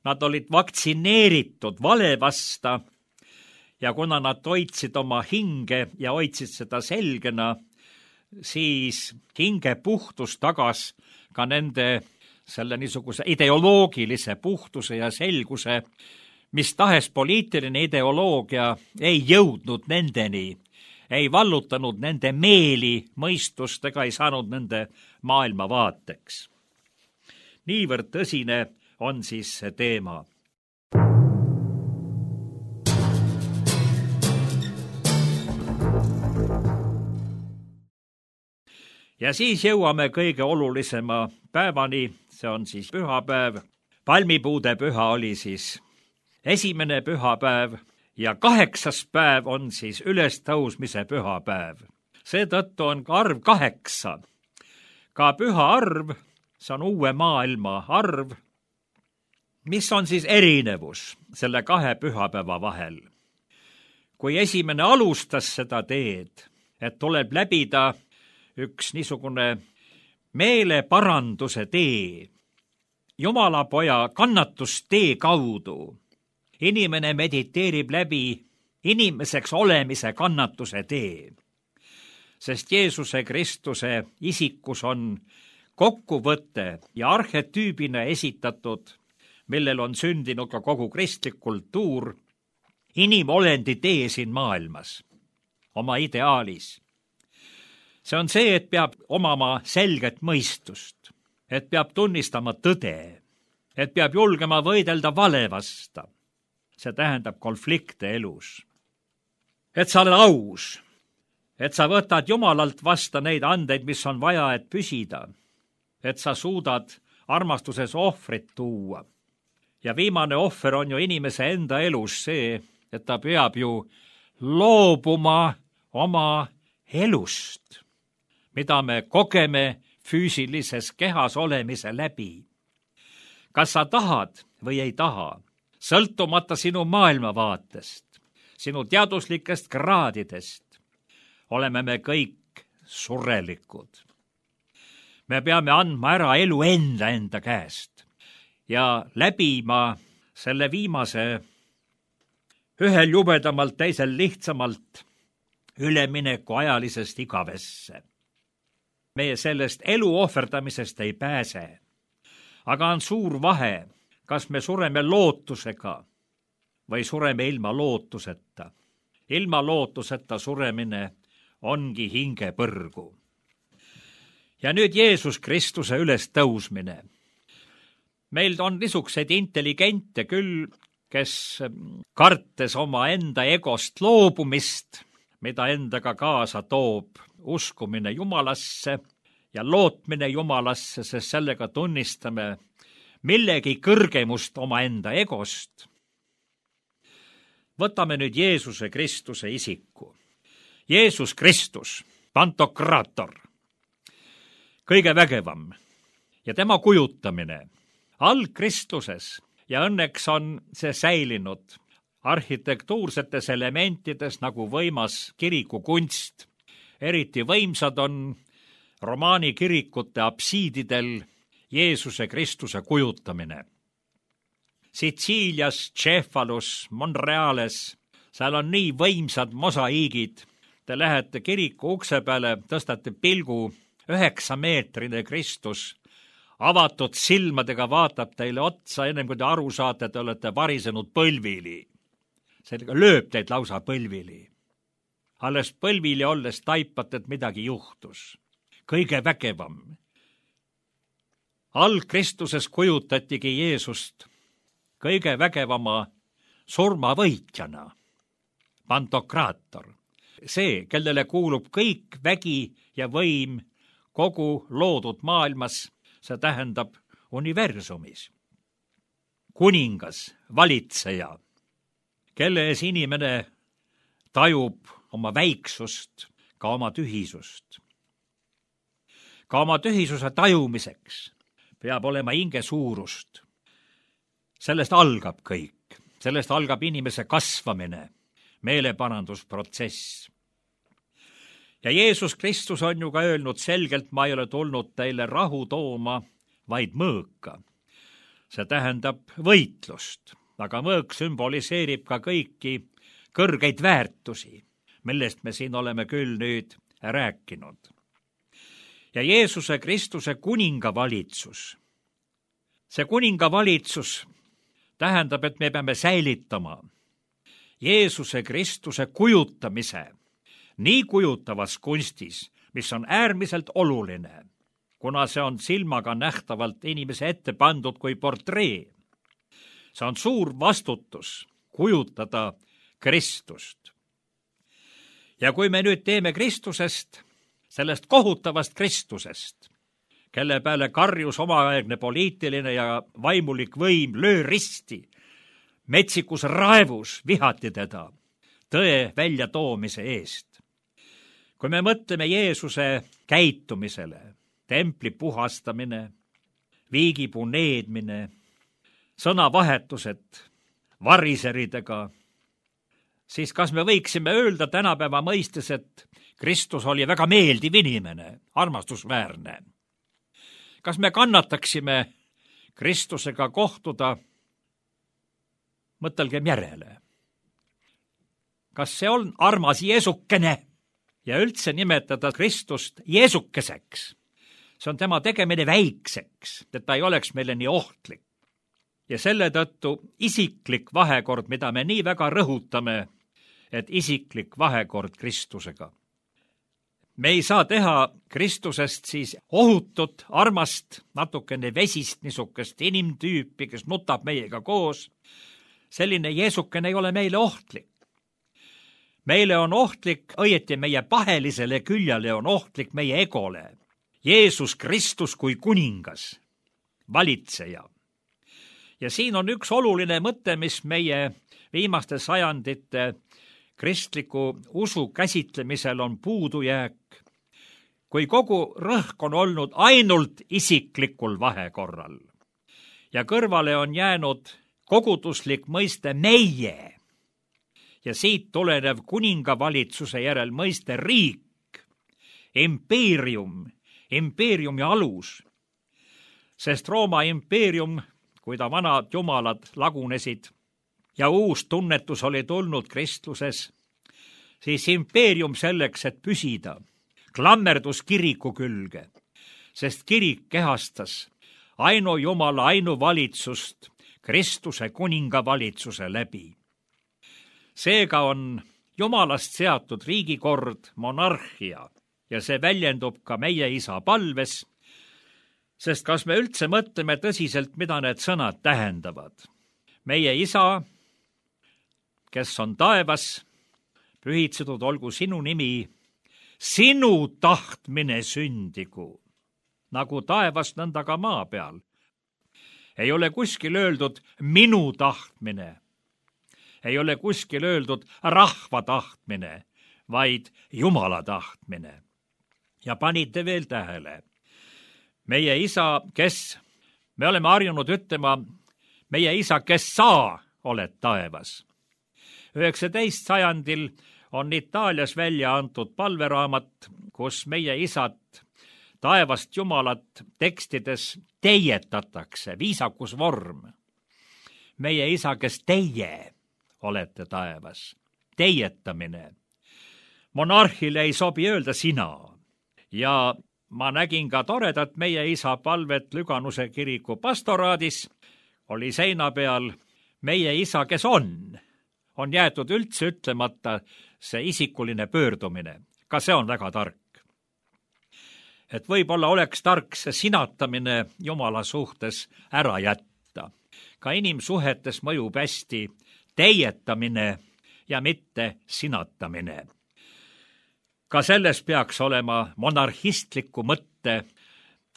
S3: nad olid vaktsineeritud vale vasta ja kuna nad hoidsid oma hinge ja hoidsid seda selgena, siis hinge puhtus tagas ka nende selle niisuguse ideoloogilise puhtuse ja selguse, mis tahes poliitiline ideoloogia ei jõudnud nendeni, ei vallutanud nende meeli, mõistust ega ei saanud nende maailmavaateks. Niivõrd tõsine on siis see teema. Ja siis jõuame kõige olulisema päevani, see on siis pühapäev. Palmipuude püha oli siis esimene pühapäev ja 8. päev on siis ülestõusmise pühapäev. Seetõttu on ka arv 8. Ka püha arv, see on uue maailma arv. Mis on siis erinevus selle 2 pühapäeva vahel? Kui esimene alustas seda teed, et tuleb läbida üks niisugune meeleparanduse tee, Jumala poja kannatustee kaudu, inimene mediteerib läbi inimeseks olemise kannatuse tee, sest Jeesuse Kristuse isikus on kokkuvõte ja arhetüübina esitatud, millel on sündinud ka kogu kristlik kultuur, inimolendi tee siin maailmas, oma ideaalis. See on see, et peab omama selget mõistust, et peab tunnistama tõde, et peab julgema võidelda vale vasta. See tähendab konflikte elus. Et sa oled aus, et sa võtad Jumalalt vasta neid andeid, mis on vaja, et püsida, et sa suudad armastuses ohvrit tuua. Ja viimane ohver on ju inimese enda elus see, et ta peab ju loobuma oma elust, mida me kogeme füüsilises kehas olemise läbi. Kas sa tahad või ei taha, sõltumata sinu maailmavaatest, sinu teaduslikest kraadidest, oleme me kõik surelikud. Me peame andma ära elu enda käest ja läbima selle viimase ühel jubedamalt, teisel lihtsamalt ülemineku ajalisest igavesse. Meie sellest elu ohverdamisest ei pääse, aga on suur vahe, kas me sureme lootusega või sureme ilma lootuseta. Ilma lootuseta suremine ongi hingepõrgu. Ja nüüd Jeesus Kristuse ülestõusmine. Meil on niisuguseid intelligente küll, kes kartes oma enda egost loobumist, mida endaga kaasa toob uskumine Jumalasse ja lootmine Jumalasse, sest sellega tunnistame millegi kõrgemust oma enda egost. Võtame nüüd Jeesuse Kristuse isiku. Jeesus Kristus, pantokraator, kõige vägevam ja tema kujutamine algkristluses ja õnneks on see säilinud arhitektuursetes elementides nagu võimas kirikukunst. Eriti võimsad on romaani kirikute apsiididel Jeesuse Kristuse kujutamine. Sitsiilias, Cefalus, Monreales, seal on nii võimsad mosaiigid. Te lähete kiriku ukse peale, tõstate pilgu, 9-meetrine Kristus, avatud silmadega vaatab teile otsa, ennem kui te aru saate, te olete varisenud põlvili. Sellega lööb teid lausa põlvili. Alles põlvili olles taipate, et midagi juhtus. Kõige vägevam. Algkristuses kujutatigi Jeesust kõige vägevama surmavõitjana. Pantokraator. See, kellele kuulub kõik vägi ja võim kogu loodud maailmas, see tähendab universumis. Kuningas, valitseja, kelle ees inimene tajub oma väiksust, ka oma tühisust. Ka oma tühisuse tajumiseks peab olema hinge suurust. Sellest algab kõik. Sellest algab inimese kasvamine, meeleparandusprotsess. Ja Jeesus Kristus on ju ka öelnud selgelt, ma ei ole tulnud teile rahu tooma, vaid mõõka. See tähendab võitlust, aga mõõk sümboliseerib ka kõiki kõrgeid väärtusi, millest me siin oleme küll nüüd rääkinud. Ja Jeesuse Kristuse kuningavalitsus. See kuningavalitsus tähendab, et me peame säilitama Jeesuse Kristuse kujutamise nii kujutavas kunstis, mis on äärmiselt oluline, kuna see on silmaga nähtavalt inimese ette pandud kui portree. See on suur vastutus kujutada Kristust. Ja kui me nüüd teeme Kristusest, sellest kohutavast Kristusest, kelle peale karjus omaaegne poliitiline ja vaimulik võim, löö risti, metsikus raevus vihati teda tõe väljatoomise eest. Kui me mõtleme Jeesuse käitumisele, templi puhastamine, viigipuu needmine, sõnavahetused variseridega, siis kas me võiksime öelda tänapäeva mõistes, et Kristus oli väga meeldiv inimene, armastusväärne? Kas me kannataksime Kristusega kohtuda? Mõtelgem järele. Kas see on armas Jeesukene? Ja üldse nimetada Kristust Jeesukeseks. See on tema tegemine väikseks, et ta ei oleks meile nii ohtlik. Ja selle tõttu isiklik vahekord, mida me nii väga rõhutame, et isiklik vahekord Kristusega. Me ei saa teha Kristusest siis ohutut, armast, natukene vesist, niisugust inimtüüpi, kes nutab meiega koos. Selline Jeesukene ei ole meile ohtlik. Meile on ohtlik, õieti meie pahelisele küljale on ohtlik meie egole. Jeesus Kristus kui kuningas, valitseja. Ja siin on üks oluline mõte, mis meie viimaste sajandite kristliku usu käsitlemisel on puudujääk. Kui kogu rõhk on olnud ainult isiklikul vahekorral ja kõrvale on jäänud koguduslik mõiste meie ja siit tulenev kuningavalitsuse järel mõiste riik, impeerium, impeeriumi alus, sest Rooma impeerium, kui ta vanad jumalad lagunesid ja uus tunnetus oli tulnud kristluses, siis impeerium selleks, et püsida, klammerdus kiriku külge, sest kirik kehastas ainujumala ainuvalitsust Kristuse kuningavalitsuse läbi. Seega on jumalast seatud riigikord, monarhia ja see väljendub ka meie isa palves, sest kas me üldse mõtleme tõsiselt, mida need sõnad tähendavad? Meie isa, kes on taevas, pühitsetud olgu sinu nimi, sinu tahtmine sündigu, nagu taevas, nõnda ka maa peal. Ei ole kuskil öeldud minu tahtmine, ei ole kuskil öeldud rahva tahtmine, vaid Jumala tahtmine. Ja panite veel tähele, meie isa, kes Me oleme harjunud ütlema, meie isa, kes sa oled taevas. 19. sajandil on Itaalias välja antud palveraamat, kus meie isad taevast Jumalat tekstides teietatakse, viisakusvorm. Meie isa, kes teie olete taevas. Teietamine. Monarhile ei sobi öelda sina. Ja ma nägin ka toredat meie isa palvet Lüganuse kiriku pastoraadis. Oli seina peal meie isa, kes on jäetud üldse ütlemata see isikuline pöördumine. Ka see on väga tark. Et võib-olla oleks tark see sinatamine Jumala suhtes ära jätta. Ka inimsuhetes mõjub hästi teietamine ja mitte sinatamine. Ka selles peaks olema monarhistliku mõtte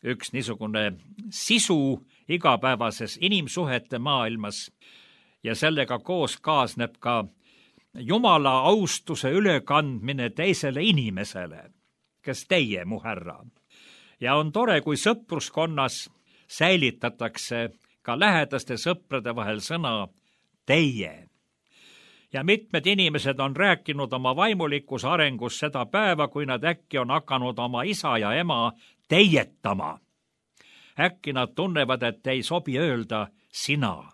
S3: üks niisugune sisu igapäevases inimsuhete maailmas ja sellega koos kaasneb ka Jumala austuse ülekandmine teisele inimesele, kes teie, mu härra. Ja on tore, kui sõpruskonnas säilitatakse ka lähedaste sõprade vahel sõna teie. Ja mitmed inimesed on rääkinud oma vaimulikus arengus seda päeva, kui nad äkki on hakanud oma isa ja ema teietama. Äkki nad tunnevad, et ei sobi öelda sina.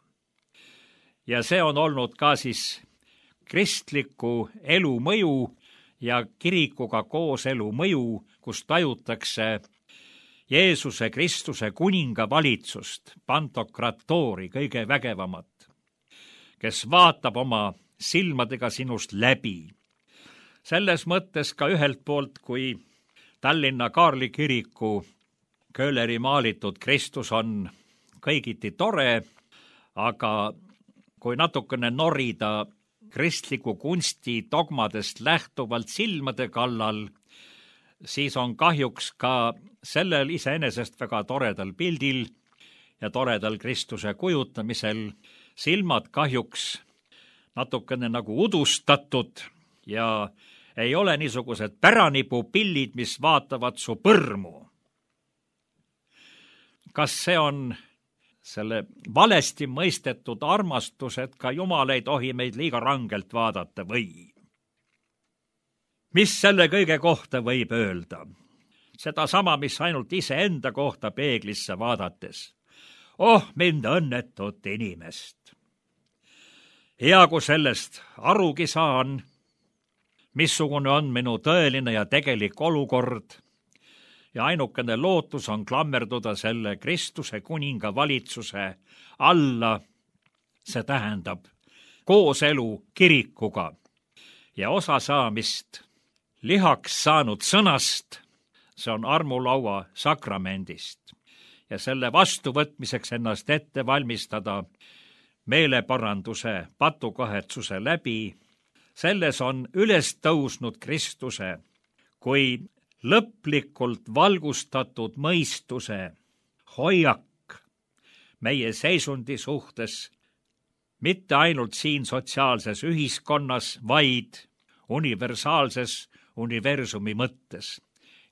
S3: Ja see on olnud ka siis kristliku elu mõju ja kirikuga koos elu mõju, kus tajutakse Jeesuse Kristuse kuninga valitsust, pantokratoori, kõige vägevamat, kes vaatab oma silmadega sinust läbi. Selles mõttes ka ühelt poolt, kui Tallinna Kaarli kiriku Köhleri maalitud Kristus on kõigiti tore, aga kui natukene norida kristliku kunsti dogmadest lähtuvalt silmade kallal, siis on kahjuks ka sellel iseenesest väga toredal pildil ja toredal Kristuse kujutamisel silmad kahjuks natukene nagu udustatud ja ei ole niisugused päränipupillid, mis vaatavad su põrmu. Kas see on selle valesti mõistetud armastus, et ka Jumal ei tohi meid liiga rangelt vaadata või? Mis selle kõige kohta võib öelda? Seda sama, mis ainult iseenda kohta peeglisse vaadates. Oh, mind õnnetut inimest! Hea, kui sellest arugi saan, missugune on minu tõeline ja tegelik olukord, ja ainukene lootus on klammerduda selle Kristuse kuninga valitsuse alla, see tähendab kooselu kirikuga ja osasaamist lihaks saanud sõnast, see on armulaua sakramendist, ja selle vastuvõtmiseks ennast ette valmistada meeleparanduse, patukahetsuse läbi, selles on üles tõusnud Kristuse kui lõplikult valgustatud mõistuse hoiak meie seisundi suhtes, mitte ainult siin sotsiaalses ühiskonnas, vaid universaalses universumi mõttes.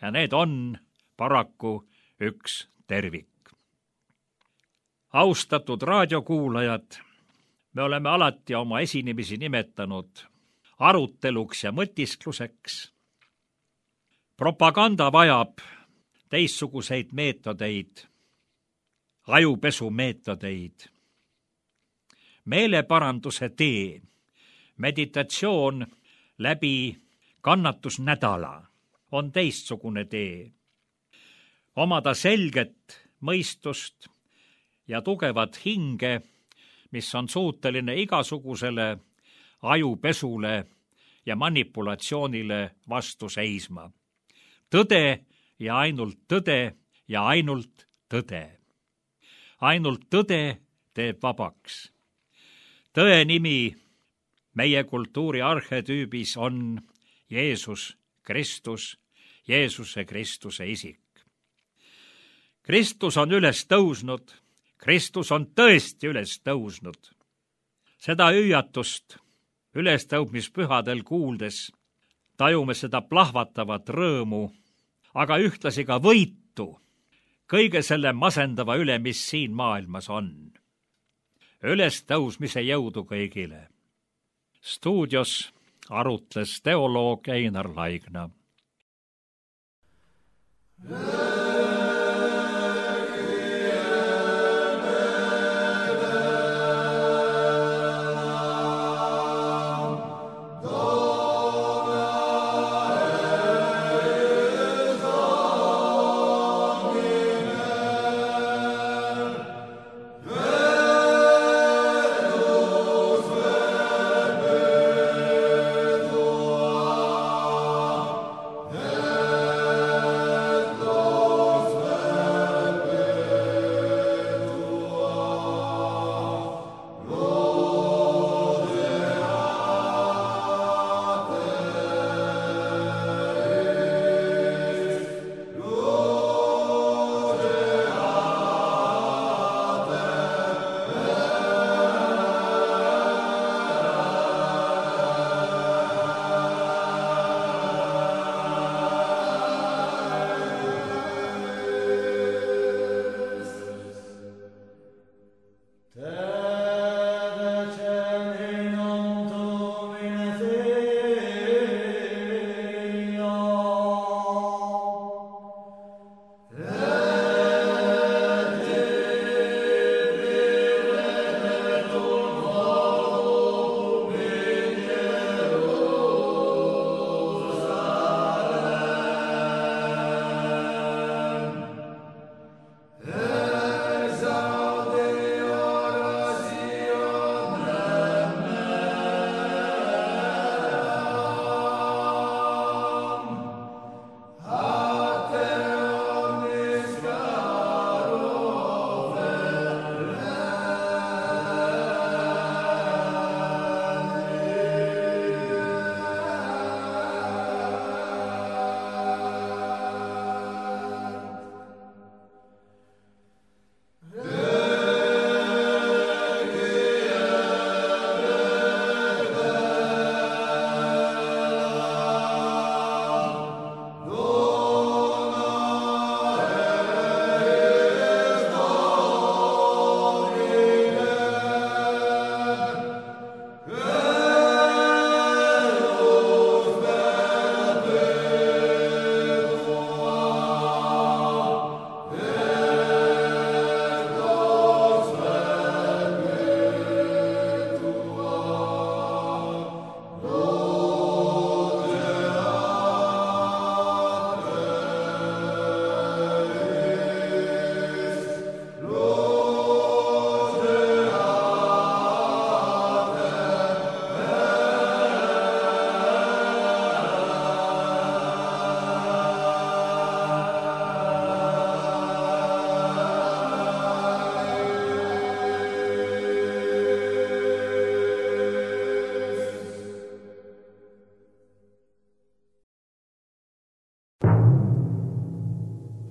S3: Ja need on paraku üks tervik. Austatud raadiokuulajad, me oleme alati oma esinemisi nimetanud aruteluks ja mõtiskluseks. Propaganda vajab teistsuguseid meetodeid, ajupesumeetodeid. Meeleparanduse tee, meditatsioon läbi kannatusnädala on teistsugune tee. Omada selget mõistust ja tugevat hinge, mis on suuteline igasugusele ajupesule ja manipulatsioonile vastu seisma. Tõde ja ainult tõde ja ainult tõde. Ainult tõde teeb vabaks. Tõe nimi meie kultuuri arhetüübis on Jeesus Kristus, Jeesuse Kristuse isik. Kristus on üles tõusnud, Kristus on tõesti üles tõusnud. Seda hüüatust ülestõudmispühadel kuuldes tajume seda plahvatavat rõõmu, aga ühtlasi ka võitu, kõige selle masendava üle, mis siin maailmas on. Ülestõusmise jõudu kõigile. Stuudios arutles teoloog Einar Laigna.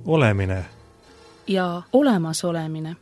S1: Olemine
S2: ja olemasolemine.